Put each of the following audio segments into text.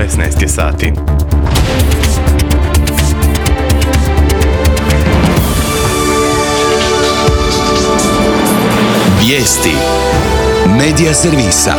16 je sati. Vijesti Medija servisa.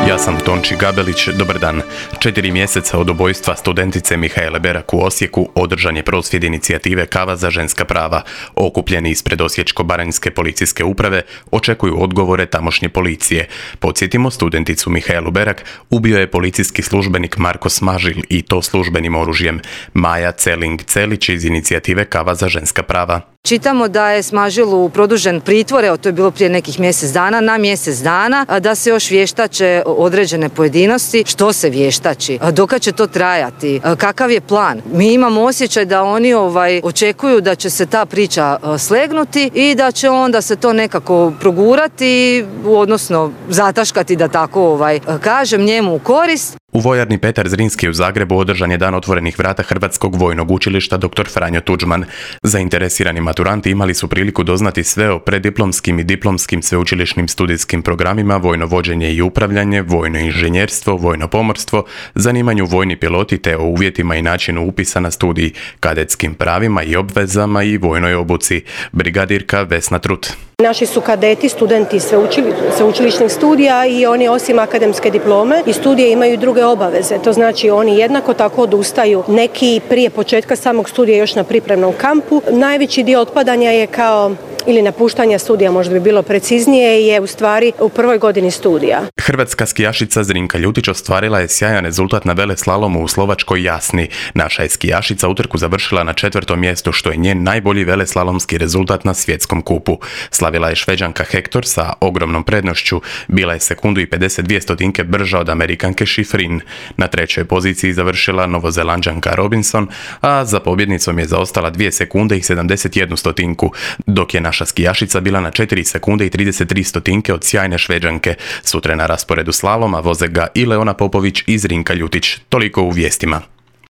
Ja sam Tonči Gabelić, dobar dan. 4 mjeseca od ubojstva studentice Mihaele Berak u Osijeku održan je prosvjed inicijative Kava za ženska prava. Okupljeni ispred Osječko-baranjske policijske uprave očekuju odgovore tamošnje policije. Podsjetimo, studenticu Mihaelu Berak ubio je policijski službenik Marko Smažil i to službenim oružjem. Maja Celing-Celić iz inicijative Kava za ženska prava. Čitamo da je Smažilu produžen pritvor, evo to je bilo prije nekih mjesec dana, na mjesec dana, da se još vještače određene pojedinosti. Što se vještači? Dokad će to trajati? Kakav je plan? Mi imamo osjećaj da oni očekuju da će se ta priča slegnuti i da će onda se to nekako progurati, odnosno zataškati, da tako kažem, njemu u korist. U vojarni Petar Zrinski u Zagrebu održan je dan otvorenih vrata Hrvatskog vojnog učilišta dr. Franjo Tuđman. Zainteresirani maturanti imali su priliku doznati sve o preddiplomskim i diplomskim sveučilišnim studijskim programima, vojno vođenje i upravljanje, vojno inženjerstvo, vojno pomorstvo, zanimanju vojni piloti te o uvjetima i načinu upisa na studij, kadetskim pravima i obvezama i vojnoj obuci. Brigadirka Vesna Trut. Naši su kadeti studenti sveučilišnih studija i oni osim akademske diplome i studije imaju druge obaveze. To znači oni jednako tako odustaju. Neki prije početka samog studija još na pripremnom kampu. Najveći dio otpadanja je ili napuštanja studija, možda bi bilo preciznije, je u stvari u prvoj godini studija. Hrvatska skijašica Zrinka Ljutić ostvarila je sjajan rezultat na veleslalomu u slovačkoj Jasni. Naša je skijašica utrku završila na 4. mjestu, što je njen najbolji veleslalomski rezultat na svjetskom kupu. Slavila je Šveđanka Hector sa ogromnom prednošću. Bila je sekundu i 52 stotinke brža od Amerikanke Schifrin. Na 3. poziciji završila Novozelanđanka Robinson, a za pobjednicom je zaostala 2 sekunde i 71 stotinku, dok je naša skijašica bila na 4 sekunde i 33 stotinke od sjajne Šveđanke. Sutra na rasporedu slaloma voze ga i Leona Popović i Zrinka Ljutić. Toliko u vijestima.